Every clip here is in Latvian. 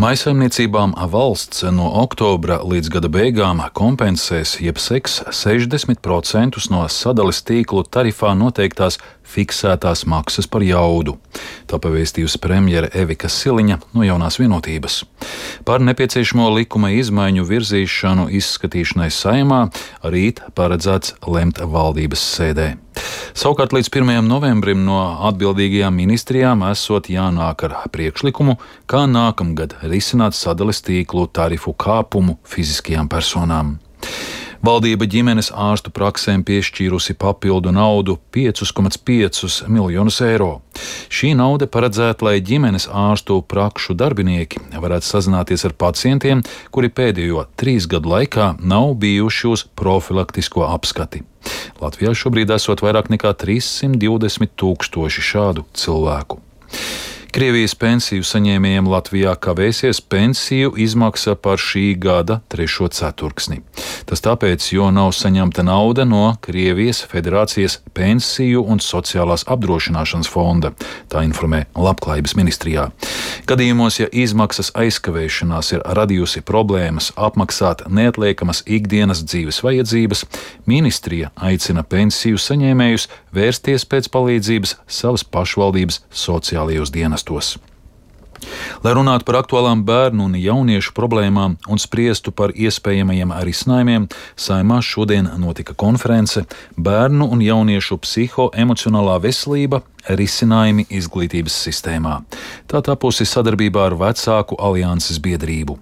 Mājsaimniecībām valsts no oktobra līdz gada beigām kompensēs jeb seks 60% no sadales tīklu tarifā noteiktās fiksētās maksas par jaudu. Tā pavēstījusi premjere Evika Siliņa no Jaunās Vienotības. Par nepieciešamo likuma izmaiņu virzīšanu izskatīšanai Saeimā rīt paredzēts lemt valdības sēdē. Savukārt līdz 1. novembrim no atbildīgajām ministrijām esot jānāk ar priekšlikumu, kā nākamgad risināt sadales tīklu tarifu kāpumu fiziskajām personām. Valdība ģimenes ārstu praksēm piešķīrusi papildu naudu 5,5 miljonus eiro. Šī nauda paredzēta, lai ģimenes ārstu prakšu darbinieki varētu sazināties ar pacientiem, kuri pēdējo 3 gadu laikā nav bijuši uz profilaktisko apskati. Latvijā šobrīd esot vairāk nekā 320 000 šādu cilvēku. Krievijas pensiju saņēmējiem Latvijā kavēsies pensiju izmaksa par šī gada 3. ceturksni. Tas tāpēc, jo nav saņemta nauda no Krievijas Federācijas pensiju un sociālās apdrošināšanas fonda, tā informē Labklājības ministrijā. Gadījumos, ja izmaksas aizkavēšanās ir radījusi problēmas apmaksāt neatliekamas ikdienas dzīves vajadzības, ministrija aicina pensiju saņēmējus vērsties pēc palīdzības savas pašvaldības sociālajos dienestos. Lai runātu par aktuālām bērnu un jauniešu problēmām un spriestu par iespējamajiem risinājumiem, Saeimā šodien notika konference Bērnu un jauniešu psihoemocionālā veselība – risinājumi izglītības sistēmā. Tā tapusi sadarbībā ar Vecāku alianses biedrību.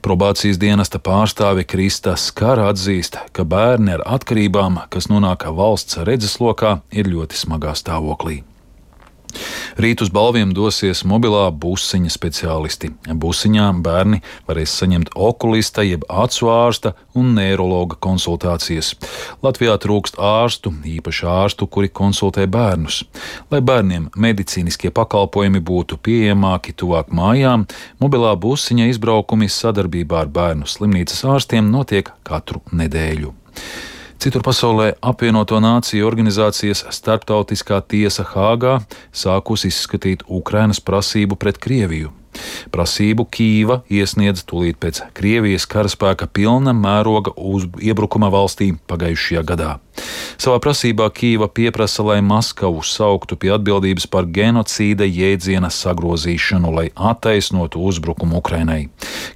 Probācijas dienesta pārstāve Krista Skara atzīst, ka bērni ar atkarībām, kas nonāk valsts redzeslokā, ir ļoti smagā stāvoklī. Rīt uz balviem dosies mobilā busiņa speciālisti. Busiņā bērni varēs saņemt okulista, jeb acu ārsta un neirologa konsultācijas. Latvijā trūkst ārstu, īpaši ārstu, kuri konsultē bērnus. Lai bērniem medicīniskie pakalpojumi būtu pieejamāki tuvāk mājām, mobilā busiņa izbraukumi sadarbībā ar bērnu slimnīcas ārstiem notiek katru nedēļu. Citur pasaulē apvienoto nāciju organizācijas starptautiskā tiesa Hāgā sākusi izskatīt Ukrainas prasību pret Krieviju. Prasību Kīva iesniedz tūlīt pēc Krievijas karaspēka pilna mēroga iebrukuma valstī pagājušajā gadā. Savā prasībā Kīva pieprasa, lai Maskavu sauktu pie atbildības par genocīda jēdziena sagrozīšanu, lai attaisnotu uzbrukumu Ukrainai.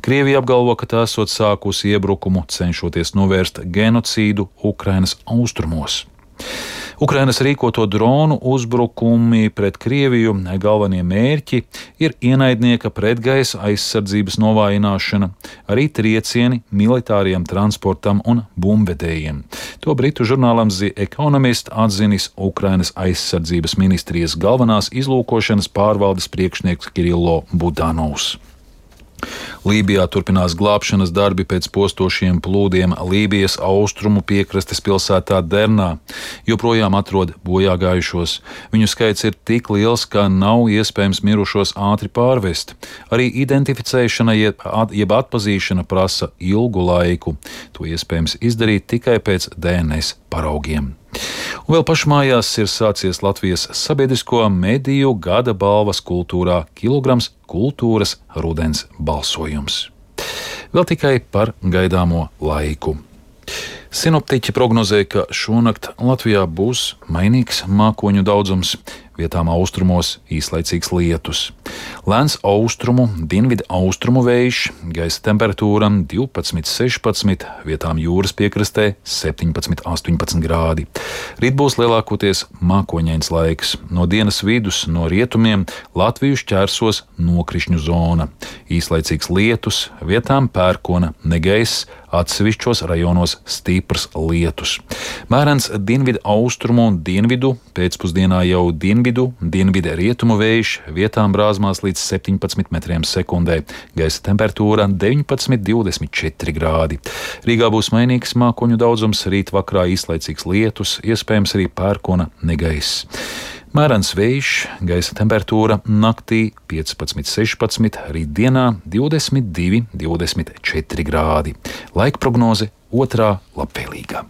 Krievija apgalvo, ka tā esot sākusi iebrukumu, cenšoties novērst genocīdu Ukrainas austrumos. Ukrainas rīkoto dronu uzbrukumi pret Krieviju galvenie mērķi ir ienaidnieka pretgaisa aizsardzības novājināšana, arī triecieni militāriem transportam un bumbvedējiem. To britu žurnālam The Economist atzinis Ukrainas aizsardzības ministrijas galvenās izlūkošanas pārvaldes priekšnieks Kirillo Budanovs. Lībijā turpinās glābšanas darbi pēc postošiem plūdiem Lībijas austrumu piekrastes pilsētā Dernā. Joprojām atrod bojāgājušos. Viņu skaits ir tik liels, ka nav iespējams mirušos ātri pārvest. Arī identificēšana jeb atpazīšana prasa ilgu laiku. To iespējams izdarīt tikai pēc DNS paraugiem. Un vēl pašmājās ir sācies Latvijas sabiedrisko mediju gada balvas kultūrā Kilograms kultūras rudens balsojums. Vēl tikai par gaidāmo laiku. Sinoptiķi prognozē, ka šonakt Latvijā būs mainīgs mākoņu daudzums, vietām austrumos īslaicīgs lietus. Lēns austrumu, dienvidu austrumu vējš, gaisa temperatūra 12–16, vietām jūras piekrastē 17–18 grādi. Rīt būs lielākoties mākoņains laiks. No dienas vidus no rietumiem Latviju šķērsos nokrišņu zona. Īslaicīgs lietus, vietām pērkona negaiss, atsevišķos rajonos stiprs lietus. Mērens dienvidu austrumu un dienvidu, pēcpusdienā jau dienvidu rietumu vējš, vietām brāzmās līdz 17 metriem sekundē, gaisa temperatūra 19–24 grādi. Rīgā būs mainīgs mākoņu daudzums, rīt vakarā īslaicīgs lietus, iespējams arī pērkona negaiss. Mērens vējš, gaisa temperatūra naktī 15–16, rītdienā 22–24 grādi. Laika prognoze otrā labvēlīgā.